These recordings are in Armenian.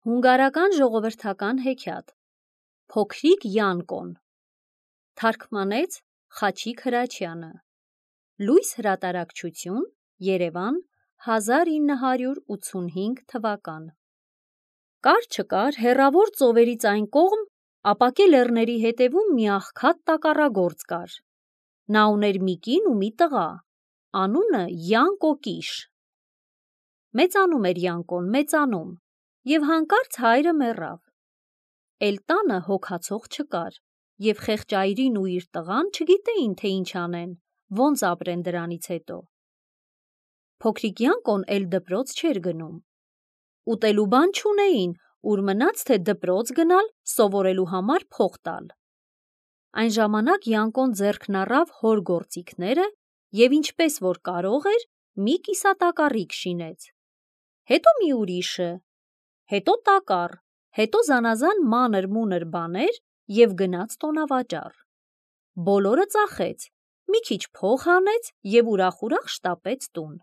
Հունգարական ժողովրդական հեքիաթ Փոքրիկ Յանկոն թարգմանեց Խաչիկ Հրաչյանը Լույս հրատարակչություն Երևան 1985 թվական Կար չկար հեռավոր ծովերից այն կողմ ապակե լեռների հետևում մի աղքատ տակառագործ կար նա ուներ մի կին ու մի տղա անունը Յանկո Կիշ մեծանում էր Յանկոն մեծանում և հանկարծ հայրը մեռավ էլ տանը հոգացող չկար և խեղճ այրին ու իր տղան չգիտեին թե ինչ անեն ոնց ապրեն դրանից հետո փոքրիկ Յանկոն էլ դպրոց չէր գնում ուտելու բան չունեին ուր մնաց թե դպրոց գնալ սովորելու համար փող տալ այն ժամանակ Յանկոն ձեռքն առավ հոր գործիքները և ինչպես որ կարող էր մի կիսատակառիկ շինեց հետո մի ուրիշը հետո տակառ հետո զանազան մանր-մունր բաներ և գնաց տոնավաճառ բոլորը ծախեց մի քիչ փող հանեց և ուրախ-ուրախ շտապեց տուն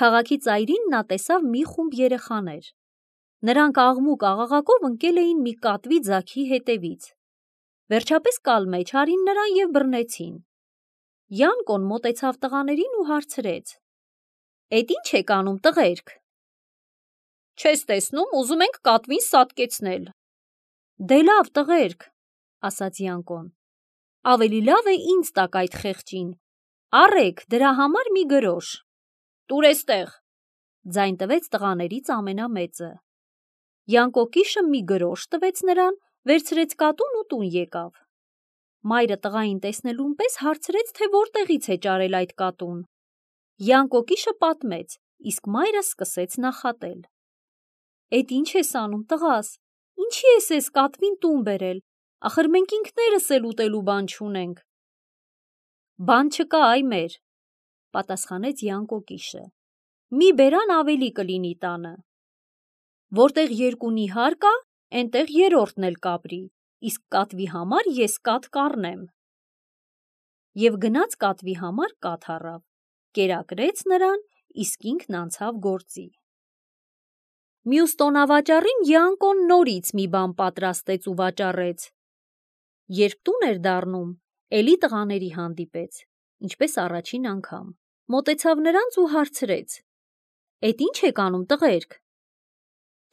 քաղաքի ծայրին նա տեսավ մի խումբ երեխաներ նրանք աղմուկ-աղաղակով ընկել էին մի կատվի ձագի հետևից վերջապես կալ մեջ արին նրան և բռնեցին Յանկոն մոտեցավ տղաներին ու հարցրեց «Էդ ինչ եք անում տղերք» «Չես տեսնում ուզում ենք կատվին սատկեցնել» «Դե լավ տղերք» ասաց Յանկոն ավելի լավ է ինձ տաք այդ խեղճին առեք դրա համար մի գրոշ «Տուր էստեղ» ձայն տվեց տղաներից ամենամեծը Յանկո Կիշը մի գրոշ տվեց նրան վերցրեց կատուն ու տուն եկավ մայրը տղային տեսնելուն պես հարցրեց թե որտեղից է ճարել այդ կատուն Յանկո Կիշը պատմեց իսկ մայրը սկսեց նախատել «Էդ ինչ ես անում տղաս, ինչի ես էս կատվին տուն բերել, ախր մենք ինքներս էլ ուտելու բան չունենք» «Բան չկա այ մեր» պատասխանեց Յանկո Կիշը «մի բերան ավելի կլինի տանը» «Որտեղ երկու նիհար կա, էնտեղ երրորդն էլ կապրի, իսկ կատվի համար ես կատ կառնեմ» և գնաց կատվի համար կաթ առավ, կերակրեց նրան, իսկ ինքն անցավ գործի Մյուս տոնավաճառին Յանկոն նորից մի բան պատրաստեց ու վաճառեց երբ տուն էր դառնում էլի տղաների հանդիպեց ինչպես առաջին անգամ մոտեցավ նրանց ու հարցրեց «Էդ ինչ եք անում տղերք»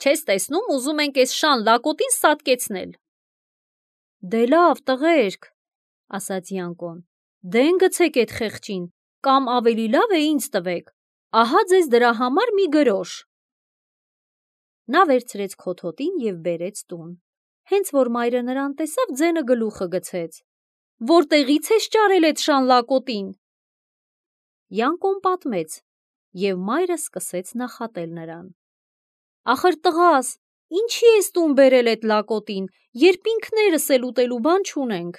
«Չես տեսնում ուզում ենք էս շան լակոտին սատկեցնել» «Դե լավ տղերք» ասաց Յանկոն «դեն գցեք էդ խեղճին կամ ավելի լավ է ինձ տվեք ահա ձեզ դրա համար մի գրոշ» նա վերցրեց քոթոտին և բերեց տուն հենց որ մայրը նրան տեսավ ձենը գլուխը գցեց «Որտեղից ես ճարել էդ շան լակոտին» Յանկոն պատմեց և մայրը սկսեց նախատել նրան «Ախր տղաս, ինչի ես տուն բերել էդ լակոտին, երբ ինքներս էլ ուտելու բան չունենք»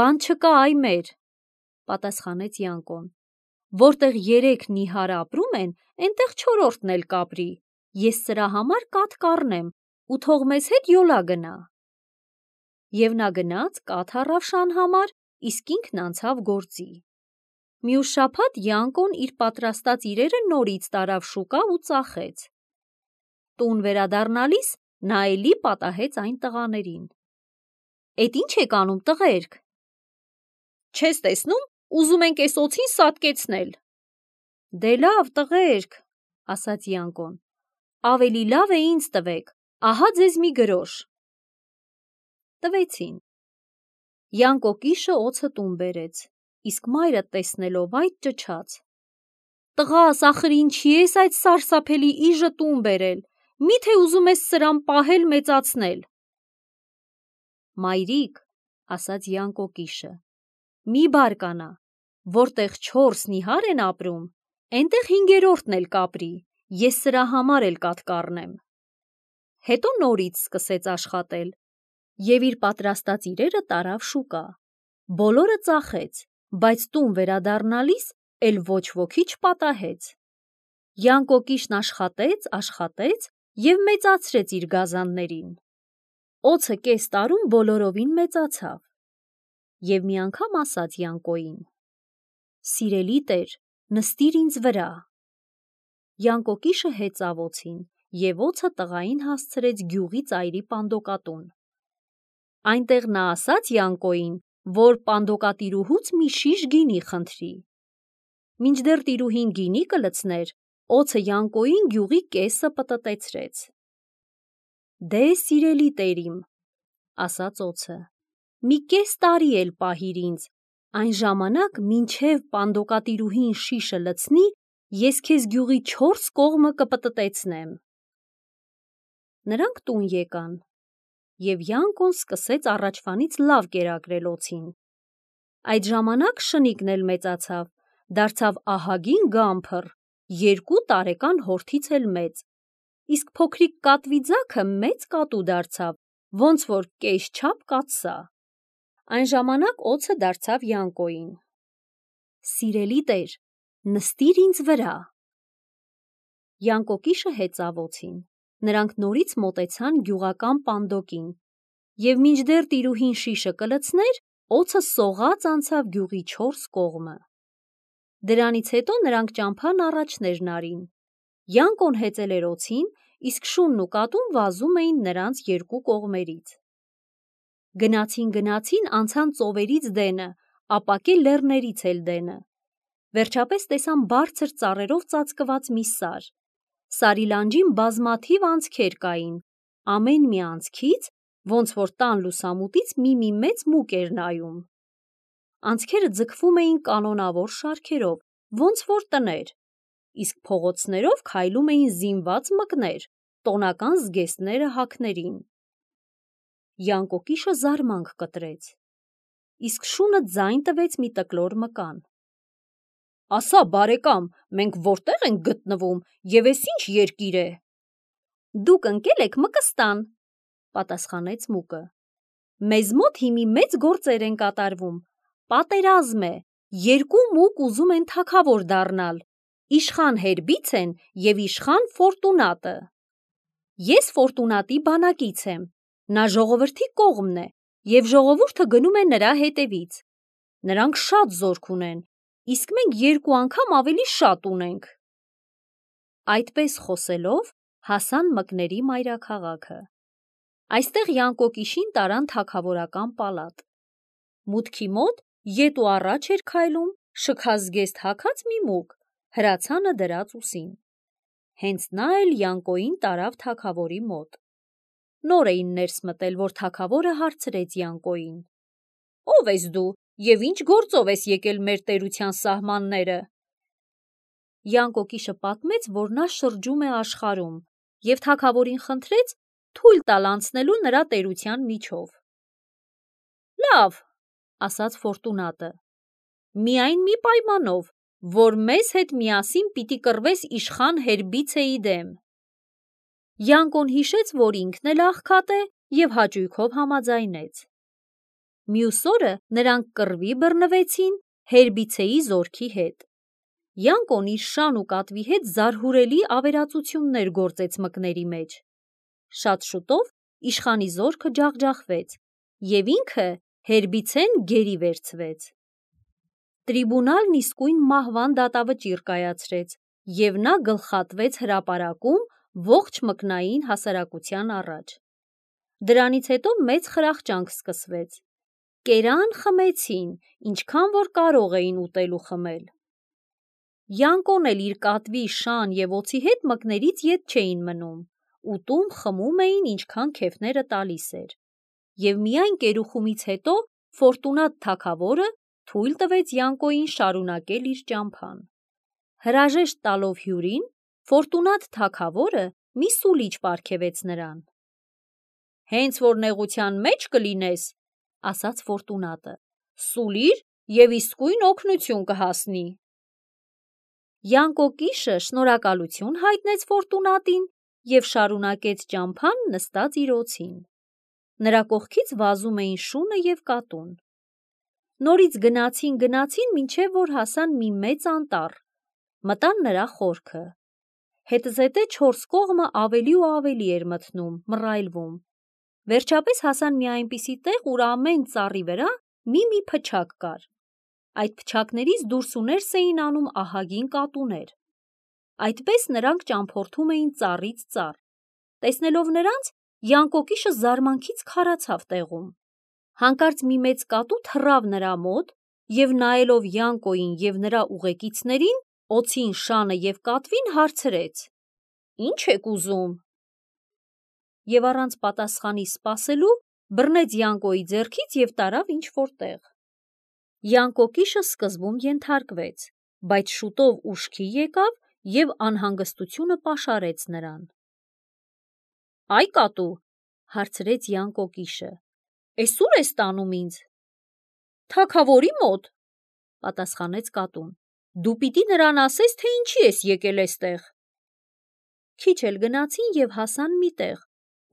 «Բան չկա այ մեր» պատասխանեց Յանկոն «Որտեղ երեք նիհար ապրում են, էնտեղ չորրորդն էլ կապրի, ես սրա համար կաթ կառնեմ ու թող մեզ հետ յոլա գնա» և նա գնաց կաթ առավ շան համար, իսկ ինքն անցավ գործի Մյուս շաբաթ Յանկոն իր պատրաստած իրերը նորից տարավ շուկա ու ծախեց տուն վերադառնալիս նա էլի պատահեց այն տղաներին «Էդ ինչ եք անում տղերք» «Չես տեսնում ուզում ենք էս օձին սատկեցնել» «Դե լավ տղերք» ասաց Յանկոն ավելի լավ է ինձ տվեք ահա ձեզ մի գրոշ տվեցին Յանկո Կիշը օձը տուն բերեց իսկ մայրը տեսնելով այդ ճչաց «Տղաս ախր ինչի ես այդ սարսափելի իժը տուն բերել, միթե ուզում ես սրան պահել մեծացնել» «Մայրիկ» ասաց Յանկո Կիշը «մի բարկանա, որտեղ 4 նիհար են ապրում, էնտեղ հինգերորդն էլ կապրի, ես սրա համար էլ կաթ կառնեմ» հետո նորից սկսեց աշխատել և իր պատրաստած իրերը տարավ շուկա բոլորը ծախեց, բայց տուն վերադառնալիս էլ ոչ ոքի չպատահեց Յանկո Կիշն աշխատեց և մեծացրեց իր գազաններին օձը կես տարում բոլորովին մեծացավ և մի անգամ ասաց Յանկոյին «Սիրելի տեր, նստիր ինձ վրա» Յանկո Կիշը հեծավ օձին և օձը տղային հասցրեց գյուղի ծայրի պանդոկատուն։ Այնտեղ նա ասաց Յանկոյին, որ պանդոկատիրուհուց մի շիշ գինի խնդրի։ Մինչդեռ տիրուհին գինի կլցներ, օձը Յանկոյին գյուղի կեսը պտտեցրեց։ «Դե, սիրելի տերիմ, ասաց օձը, մի կես տարի էլ պահիր ինձ, այն ժամանակ մինչև պանդոկատիրուհին շիշը լցնի, ես քեզ գյուղի 4 կողմը կպտտեցնեմ»։ Նրանք տուն եկան, և Յանկոն սկսեց առաջվանից լավ կերակրել օձին։ Այդ ժամանակ շնիկն էլ մեծացավ, դարձավ ահագին գամփր, 2 տարեկան հորթից էլ մեծ, իսկ փոքրիկ կատվի ձագը մեծ կատու դարձավ, ոնց որ կես չափ կաթսա։ Այն ժամանակ օձը դարձավ Յանկոյին. «Սիրելի տեր, նստիր ինձ վրա»։ Յանկո կիշը հեծավ օձին, նրանք նորից մոտեցան գյուղական պանդոկին, և մինչդեռ տիրուհին շիշը կլցներ, օձը սողաց անցավ գյուղի 4 կողմը։ Դրանից հետո նրանք ճամփան առաջներն արին։ Յանկոն հեծել էր օձին, իսկ շունն ու կատուն վազում էին նրանց 2 կողմերից։ Գնացին, անցան ծովերից դենը, ապակե լեռներից էլ դենը։ Վերջապես տեսան բարձր ծառերով ծածկված մի սար։ Սարի լանջին բազմաթիվ անցքեր կային, ամեն մի անցքից, ոնց որ տան լուսամուտից մի մեծ մուկ էր նայում։ Անցքերը ձգվում էին կանոնավոր շարքերով, ոնց որ տներ, իսկ փողոցներով քայլում էին զինված մկներ, տոնական զգեստները հագներին։ Յանկո կիշը զարմանք կտրեց, իսկ շունը ձայն տվեց մի տկլոր մկան. «Ասա, բարեկամ, մենք որտե՞ղ ենք գտնվում և էս ինչ երկիր է»։ «Դուք ընկել եք Մկստան», պատասխանեց մուկը։ «Մեզ մոտ հիմի մեծ գործեր են կատարվում, պատերազմ է, 2 մուկ ուզում են թագավոր դառնալ, իշխան Հերբիցեն և իշխան Ֆորտունատը։ Ես Ֆորտունատի բանակից եմ, նա ժողովրդի կողմն է, և ժողովուրդը գնում է նրա հետևից։ Նրանք շատ զորք ունեն, իսկ մենք 2 անգամ ավելի շատ ունենք»։ Այդպես խոսելով հասան մկների մայրաքաղաքը։ Այստեղ Յանկո կիշին տարան թագավորական պալատ։ Մուտքի մոտ ետ ու առաջ էր քայլում շքազգեստ հագած մի մուկ, հրացանը դրած ուսին։ Հենց նա էլ Յանկոյին տարավ թագավորի մոտ։ Նոր էին ներս մտել, որ թագավորը հարցրեց Յանկոյին. «Ո՞վ ես դու և ինչ գործով ես եկել մեր տերության սահմանները»։ Յանկո կիշը պատմեց, որ նա շրջում է աշխարհում, և թագավորին խնդրեց թույլ տալ անցնելու նրա տերության միջով։ «Լավ, ասաց Ֆորտունատը, միայն մի պայմանով, որ մեզ հետ միասին պիտի կռվես իշխան Հերբիցեի դեմ»։ Յանկոն հիշեց, որ ինքն էլ աղքատ է, և հաճույքով համաձայնեց։ Մյուս օրը նրանք կռվի բռնվեցին Հերբիցեի զորքի հետ։ Յանկոն իր շան ու կատվի հետ զարհուրելի ավերածություններ գործեց մկների մեջ։ Շատ շուտով իշխանի զորքը ջախջախվեց, և ինքը Հերբիցեն գերի վերցվեց։ Տրիբունալն իսկույն մահվան դատավճիռ կայացրեց, և նա գլխատվեց հրապարակում ողջ մկնային հասարակության առաջ։ Դրանից հետո մեծ խրախճանք սկսվեց։ Կերան, խմեցին, ինչքան որ կարող էին ուտել ու խմել։ Յանկոն էլ իր կատվի, շան և օձի հետ մկներից ետ չէին մնում, ուտում խմում էին, ինչքան քեֆները տալիս էր։ Եվ միայն կերուխումից հետո Ֆորտունատ թագավորը թույլ տվեց Յանկոյին շարունակել իր ճամփան։ Հրաժեշտ տալով հյուրին, Ֆորտունատ թագավորը մի սուլիչ պարգևեց նրան։ «Հենց որ նեղության մեջ կլինես, ասաց Ֆորտունատը, սուլիր և իսկույն օգնություն կհասնի»։ Յանկո կիշը շնորհակալություն հայտնեց Ֆորտունատին և շարունակեց ճամփան նստած իր օձին։ Նրա կողքից վազում էին շունը և կատուն։ Նորից գնացին, մինչև որ հասան մի մեծ անտառ, մտան նրա խորքը։ Հետզհետե 4 կողմը ավելի ու ավելի էր մթնում, մռայլվում։ Վերջապես հասան մի այնպիսի տեղ, ուր ամեն ծառի վրա մի փչակ կար։ Այդ փչակներից դուրս ու ներս էին անում ահագին կատուներ։ Այդպես նրանք ճամփորդում էին ծառից ծառ։ Տեսնելով նրանց, Յանկոկիշը զարմանքից քարացավ տեղում։ Հանկարծ մի մեծ կատու թռավ նրա մոտ և նայելով Յանկոյին և նրա ուղեկիցներին, օձին, շանը և կատվին հարցրեց. «Ի՞նչ եք ուզում»։ Եվ առանց պատասխանի սպասելու բռնեց Յանկոյի ձեռքից և տարավ ինչ-որ տեղ։ Յանկոկիշը սկզբում ենթարկվեց, բայց շուտով ուշքի եկավ և անհանգստությունը պաշարեց նրան։ «Այ կատու», հարցրեց Յանկոկիշը, «էս ո՞ւր ես տանում ինձ»։ «Թագավորի մոտ», պատասխանեց կատուն։ «Դու պիտի նրան ասես, թե ինչի ես եկել էստեղ»։ Քիչ էլ գնացին և հասան մի տեղ,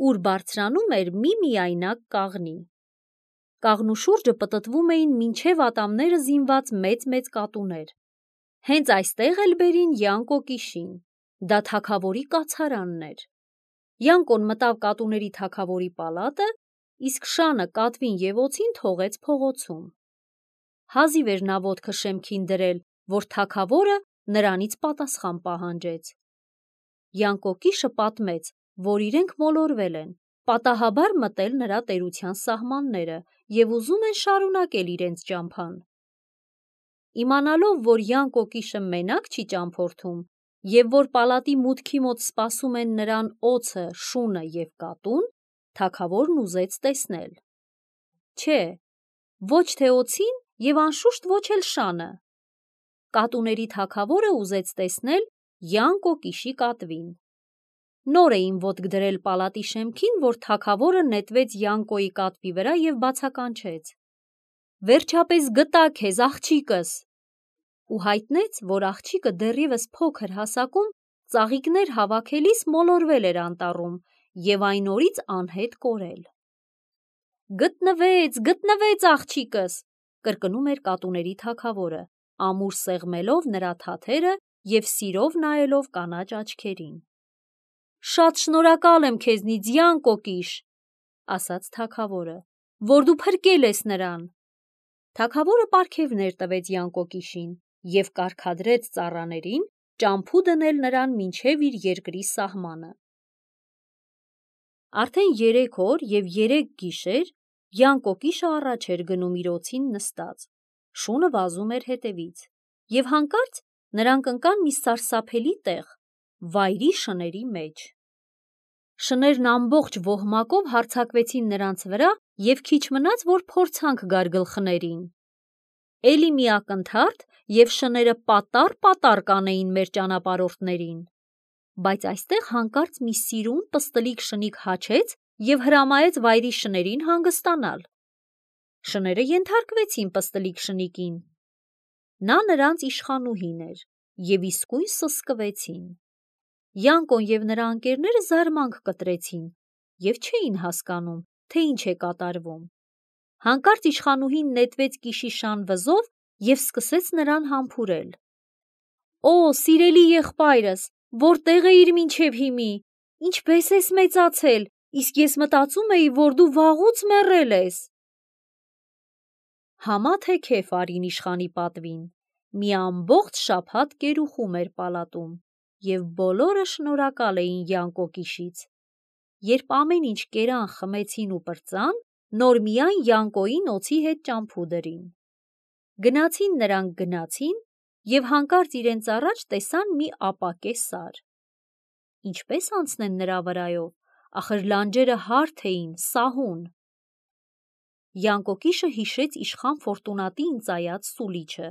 ուր բարձրանում էր մի միայնակ կաղնի։ Կաղնու շուրջը պտտվում էին մինչև ատամները զինված մեծ-մեծ կատուներ։ Հենց այստեղ էլ բերին Յանկոկիշին։ Դա թագավորի կացարանն էր։ Յանկոն մտավ կատուների թագավորի պալատը, իսկ շանը կատվին և օձին թողեց փողոցում։ Հազիվ էր նա ոտքը շեմքին դրել, որ թագավորը նրանից պատասխան պահանջեց։ Յանկոկիշը պատմեց, որ իրենք մոլորվել են, պատահաբար մտել նրա տերության սահմանները և ուզում են շարունակել իրենց ճամփան։ Իմանալով, որ Յանկոկիշը մենակ չի ճամփորդում և որ պալատի մուտքի մոտ սպասում են նրան օձը, շունը և կատուն, թագավորն ուզեց տեսնել։ Չէ, ոչ թե օձին և անշուշտ ոչ էլ շանը։ Կատուների թագավորը ուզեց տեսնել Յանկոկիշի կատվին։ Նոր էին ոտք դրել պալատի շեմքին, որ թագավորը նետվեց Յանկոյի կատվի վրա և բացականչեց. «Վերջապես գտա քեզ, աղջիկս», ու հայտնեց, որ աղջիկը դեռևս փոքր հասակում ծաղիկներ հավաքելիս մոլորվել էր անտառում և այն օրից անհետ կորել։ «Գտնվեց, գտնվեց աղջիկս», կրկնում էր կատուների թագավորը, ամուր սեղմելով նրա թաթերը և սիրով նայելով կանաչ աչքերին։ «Շատ շնորհակալ եմ քեզնից, Յանկոկիշ», ասաց թագավորը, որ դու փրկել ես նրան։ Թագավորը պարգևներ տվեց Յանկոկիշին և կարգադրեց ծառաներին ճամփու դնել նրան մինչև իր երկրի սահմանը։ Արդեն 3 օր և 3 գիշեր Յանկոկիշը առաջ էր գնում իր օձին նստած, շունը վազում էր հետևից, և հանկարծ նրանք ընկան մի սարսափելի տեղ, վայրի շների մեջ։ Շներն ամբողջ ոհմակով հարձակվեցին նրանց վրա և քիչ մնաց, որ փորձանք գար գլխներին։ Էլի մի ակնթարթ, և շները պատառ-պատառ կանեին մեր ճանապարհորդներին։ Բայց այստեղ հանկարծ մի սիրուն պստլիկ շնիկ հաչեց և հրամայեց վայրի շներին հանգստանալ։ Շները ենթարկվեցին պստլիկ շնիկին։ Նա նրանց իշխանուհին էր և իսկույն սսկվեցին։ Յանկոն և նրա ընկերները զարմանք կտրեցին և չէին հասկանում, թե ինչ է կատարվում։ Հանկարծ իշխանուհին նետվեց կիշիշան վզով և սկսեց նրան համբուրել. «Օ, սիրելի եղբայրս, որտե՞ղ էիր մինչև հիմի, ինչպե՞ս ես մեծացել, իսկ ես մտածում էի, որ դու վաղուց մեռել ես»։ Համա թե քեֆ արին իշխանի պատվին։ Մի ամբողջ շաբաթ կերուխում էր պալատում, և բոլորը շնորհակալ էին Յանկոկիշից։ Երբ ամեն ինչ կերան, խմեցին ու պրծան, նոր միայն Յանկոյին օձի հետ ճամփու դրին։ Գնացին և հանկարծ իրենց առաջ տեսան մի ապակե սար։ Ինչպե՞ս անցնեն նրա վրայով, ախր լանջերը հարթ էին, սահուն։ Յանկոկիշը հիշեց իշխան Ֆորտունատիին ծայած սուլիչը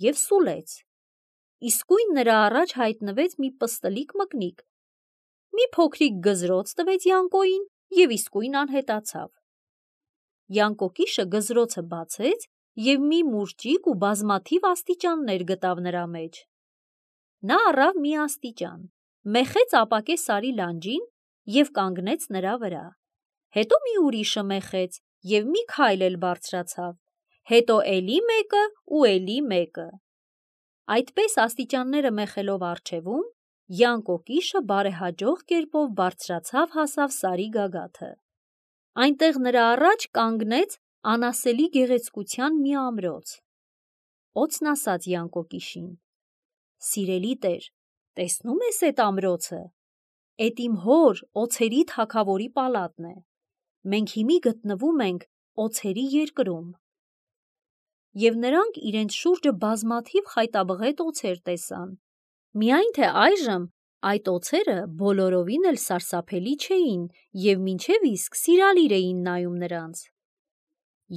և սուլեց։ Իսկույն նրա առաջ հայտնվեց մի պստլիկ մկնիկ։ Մի փոքրիկ գզրոց տվեց Յանկոյին և իսկույն անհետացավ։ Յանկոկիշը գզրոցը բացեց և մի մուրճիկ ու բազմաթիվ աստիճաններ գտավ նրա մեջ։ Նա առավ մի աստիճան, մեխեց ապակե սարի լանջին և կանգնեց նրա վրա։ Հետո մի ուրիշը մեխեց և մի քայլ էլ բարձրացավ, հետո էլի մեկը ու էլի մեկը։ Այդպես աստիճանները մեխելով առջևում, Յանկոկիշը բարեհաջող կերպով բարձրացավ հասավ սարի գագաթը։ Այնտեղ նրա առաջ կանգնեց անասելի գեղեցկության մի ամրոց։ Օձն ասաց Յանկոկիշին. «Սիրելի տեր, Տեսնում ես էդ ամրոցը, էդ իմ հոր օձերի թագավորի պալատն է, մենք հիմի գտնվում ենք օձերի երկրում։ Եվ նրանք իրենց շուրջը բազմաթիվ խայտաբղետ օձեր տեսան, միայն թե այժմ այդ օձերը բոլորովին էլ սարսափելի չէին և մինչև իսկ սիրալիր էին նայում նրանց։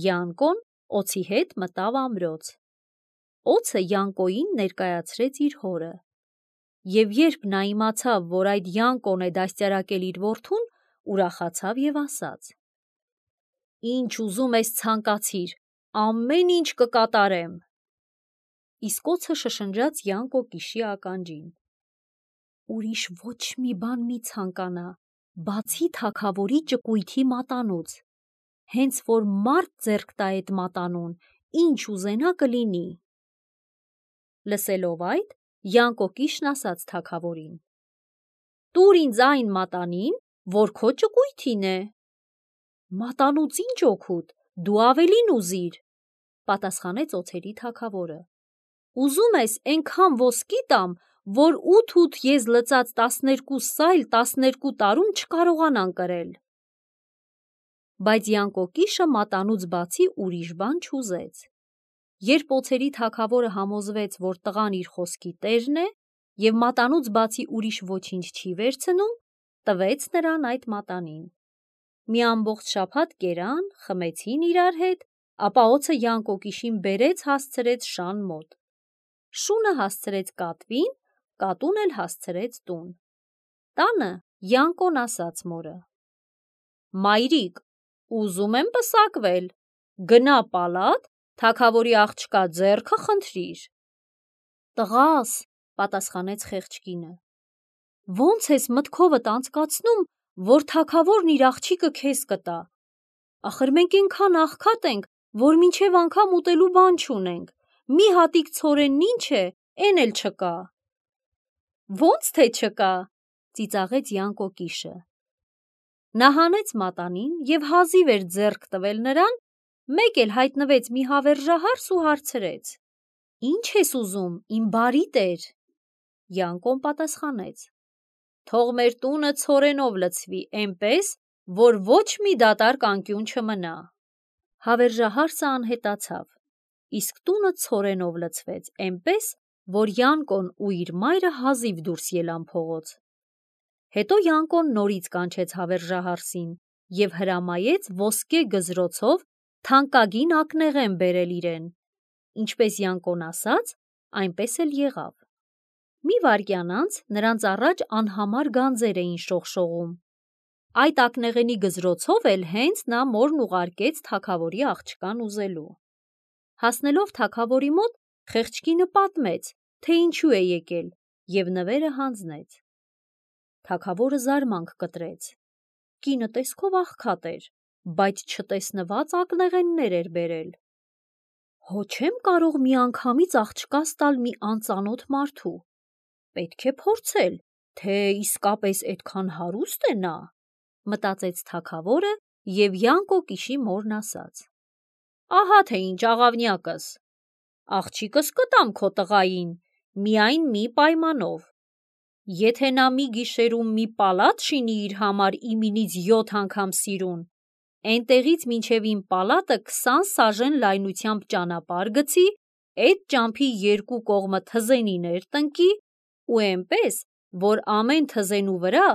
Յանկոն օձի հետ մտավ ամրոց։ Օձը Յանկոյին ներկայացրեց իր հորը։ Եվ երբ նա իմացավ, որ այդ Յանկոն է դաստիարակել իր որդուն, ուրախացավ և ասաց. «Ինչ ուզում ես ցանկացիր, ամեն ինչ կկատարեմ»։ Իսկ օձը շշնջաց Յանկո կիշի ականջին. «Ուրիշ ոչ մի բան մի ցանկանա, բացի թագավորի ճկույթի մատանուց, հենց որ մարդ ձեռք տա էդ մատանուն, ինչ ուզենա կլինի»։ Լսելով այդ, Յանկո կիշն ասաց թագավորին. «Տուր ինձ այն մատանին, որ քո ճկույթին է»։ «Մատանուց ինչ օգուտ, դու ավելին ուզիր», պատասխանեց օձերի թագավորը։ «Ուզում ես էնքան ոսկի տամ, որ 8 եզ լծած 12 սայլ 12 տարում չկարողանան կրել»։ Բայց Յանկո կիշը մատանուց բացի ուրիշ բան չուզեց։ Երբ օձերի թագավորը համոզվեց, որ տղան իր խոսքի տերն է և մատանուց բացի ուրիշ ոչինչ չի վերցնում, տվեց նրան այդ մատանին։ Մի ամբողջ շաբաթ կերան, խմեցին իրար հետ, ապա օձը Յանկո կիշին բերեց հասցրեց շան մոտ։ Շունը հասցրեց կատվին, կատուն էլ հասցրեց տուն։ Տանը Յանկոն ասաց մորը. «Մայրիկ, ուզում եմ պսակվել, գնա պալատ, թագավորի աղջկա ձեռքը խնդրիր»։ «Տղաս», պատասխանեց խեղճ կինը, «ո՞նց ես մտքովդ անցկացնում, որ թագավորն իր աղջիկը քեզ կտա։ Ախր մենք էնքան աղքատ ենք, որ մինչև անգամ ուտելու բան չունենք, մի հատիկ ցորենն ինչ է, էն էլ չկա»։ «Ո՞նց թե չկա», ծիծաղեց Յանկո կիշը։ Նա հանեց մատանին և հազիվ էր ձեռք տվել նրան, մեկ էլ հայտնվեց մի հավերժահարս ու հարցրեց. «Ինչ ես ուզում, իմ բարի տեր»։ Յանկոն պատասխանեց. «Թող մեր տունը ցորենով լցվի, էնպես, որ ոչ մի դատարկ անկյուն չմնա»։ Հավերժահարսը անհետացավ, իսկ տունը ցորենով լցվեց, էնպես, որ Յանկոն ու իր մայրը հազիվ դուրս ելան փողոց։ Հետո Յանկոն նորից կանչեց հավերժահարսին և հրամայեց ոսկե գզրոցով թանկագին ակնեղեն բերել իրեն։ Ինչպես Յանկոն ասաց, այնպես էլ եղավ։ Մի վայրկյան անց նրանց առաջ անհամար գանձեր էին շողշողում։ Այդ ակնեղենի գզրոցով էլ հենց նա մորն ուղարկեց թագավորի աղջկան ուզելու։ Հասնելով թագավորի մոտ, խեղճ կինը պատմեց, թե ինչու է եկել, և նվերը հանձնեց։ Թագավորը զարմանք կտրեց։ Կինը տեսքով աղքատ էր, բայց չտեսնված ակնեղեններ էր բերել։ «Հո չեմ կարող միանգամից աղջկաս տալ մի անծանոթ մարդու, պետք է փորձել, թե իսկապես էդքան հարուստ է նա», մտածեց թագավորը և Յանկո կիշի մորն ասաց. «Ահա թե ինչ աղավնյակս, աղջիկս կտամ քո տղային, միայն մի պայմանով. եթե նա մի գիշերում մի պալատ շինի իր համար իմինից 7 անգամ սիրուն, էնտեղից մինչև իմ պալատը 20 սաժեն լայնությամբ ճանապարհ գցի, էդ ճամփի երկու կողմը թզենիներ տնկի ու էնպես, որ ամեն թզենու վրա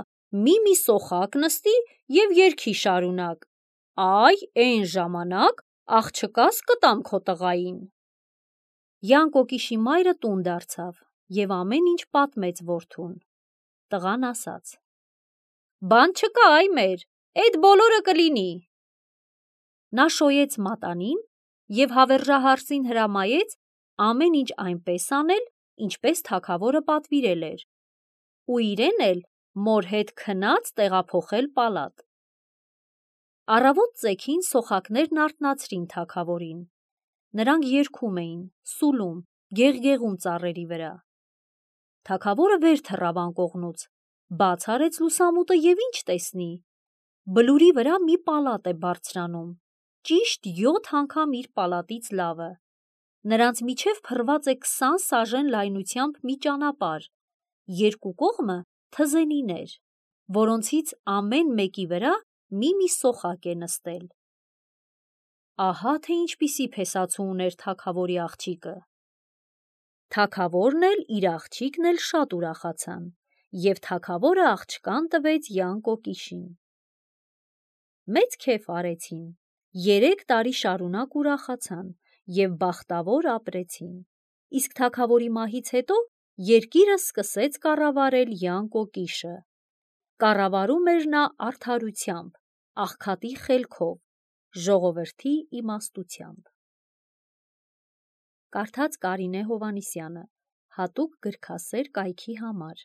մի սոխակ նստի և երգի շարունակ, այ էն ժամանակ աղջկաս կտամ քո տղային»։ Յանկո կիշի մայրը տուն դարձավ և ամեն ինչ պատմեց որդուն։ Տղան ասաց. «Բան չկա, այ մեր, էդ բոլորը կլինի»։ Նա շոյեց մատանին և հավերժահարսին հրամայեց ամեն ինչ այնպես անել, ինչպես թագավորը պատվիրել էր, ու իրեն էլ մոր հետ քնած տեղափոխել պալատ։ Առավոտ ծեքին սոխակներն արթնացրին թագավորին։ Նրանք երգում էին, սուլում, գեղգեղում ծառերի վրա։ Թագավորը վեր թռավ անկողնուց, բաց արեց լուսամուտը և ինչ տեսնի. բլուրի վրա մի պալատ է բարձրանում, ճիշտ 7 անգամ իր պալատից լավը։ Նրանց միջև փռված է 20 սաժեն լայնությամբ մի ճանապարհ, երկու կողմը թզենիներ, որոնցից ամեն մեկի վրա մի սոխակ է նստել։ Ահա թե ինչպիսի փեսացու ուներ թագավորի աղջիկը։ Թագավորն էլ իր աղջիկն էլ շատ ուրախացան, և թագավորը աղջկան տվեց Յան Կոկիշին։ Մեծ քեֆ արեցին, 3 տարի շարունակ ուրախացան և բախտավոր ապրեցին, իսկ թագավորի մահից հետո երկիրը սկսեց կառավարել Յան Կոկիշը։ Կառավարում էր նա արդարությամբ, աղքատի խելքով, ժողովրդի իմաստությամբ։ Կարդաց Կարինե Հովհաննիսյանը, հատուկ գրքասեր կայքի համար։